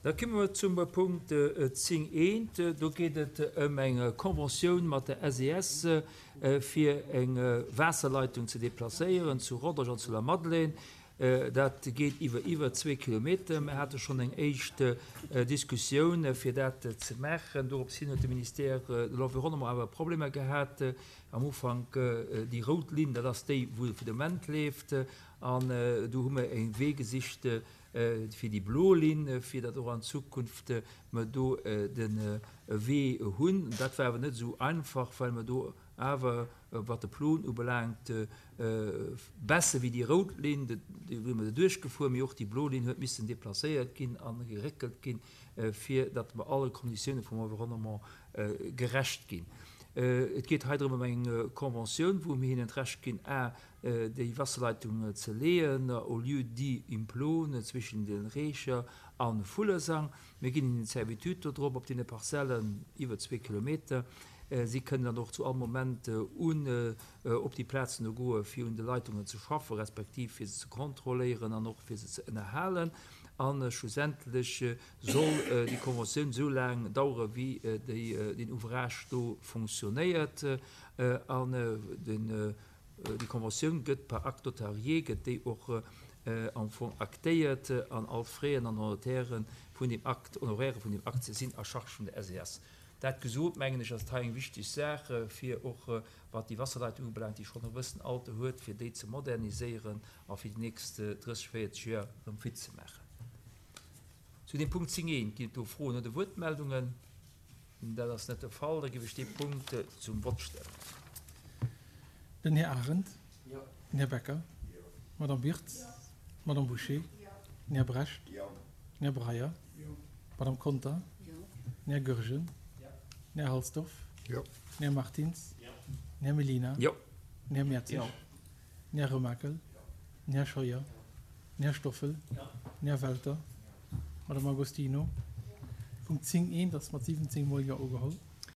Da komme mer zum Punkt 10 eent. Do geet et ëm eng Conventioun mat der SES, fir eng Waasserleitung ze deplacéieren zu Rodange an zu Lamadelaine. Dat geet iwwer iwwer zwee Kilometer. Mir hate schonn eng éischt Diskussioun, fir dat ze maachen. Dorops hin huet de Ministère de l'Environnement awer Problemer gehat am Ufank. Déi rout Linn, dat ass déi, wou de Moment leeft. An do hu mer e Wee gesicht fir déi blo Linn, fir datt och an Zukunft mer do de Wee hunn. Dat war awer net esou einfach, well mer do awer, wat de Plon ubelaangt, besser wéi déi rout Linn, déi hu mer duerchgefuer, mee och déi blo Linn huet missen deplacéiert ginn a geréckelt ginn, fir datt mer alle Konditioune vum Environnement gerecht ginn. Et geet hei drëm ëm eng Conventioun, wou mir hinnen d'Recht ginn, a déi Wasserleitung ze leeën au lieu dit im Plon zwischen den Reecher a Vullesang. Mir ginn hinnen d'Servitude do drop op deene Parzellen iwwer zwee Kilometer. Si kënnen dann och zu all Moment un op déi Plazen do goe fir un de Leitungen ze schaffen, respektiv fir se ze kontrolléieren an och fir se ze ënnerhalen. A schlussendlech soll déi Conventioun esou laang dauere wéi deen Ouvrage do fonctionnéiert an den Déi Conventioun gëtt par acte notarié, gëtt déi och am Fong actéiert an all d'Fraien an Honoraire vun deem Acte, Honoraire vun deem Acte sinn à charge vun der SES. Dat gesot, mengen ech, ass et hei eng wichteg Saach, fir och wat déi Wasserleitung ubelaangt, déi schonn e bëssen Alter huet, fir déi ze moderniséieren a fir déi nächst 30, 40 Joer erëm fit ze maachen. Zu deem Punkt 10 I, ginn et do Froen oder Wuertmeldungen? Dat ass net de Fall. Da géif ech dee Punkt zum Vott stellen. Den Här Arendt. Jo. Den Här Becker. Jo. D'Madame Wirtz. Jo. D'Madame Bouché. Jo. Den Här Brecht. Jo. Den Här Breyer. Jo. D'Madame Conter. Jo. Den Här Goergen. Jo. Den Här Halsdorf. Jo. Den Här Martins. Jo. Den Här Mellina. Jo. Den Här Mertzig. Jo. Den Här Remakel. Jo. Den Här Scheuer. Den Här Stoffel. Jo. Den Här Welter. Madame Agostino. Punkt 10 eent ass mat 17 mol Jo ugeholl.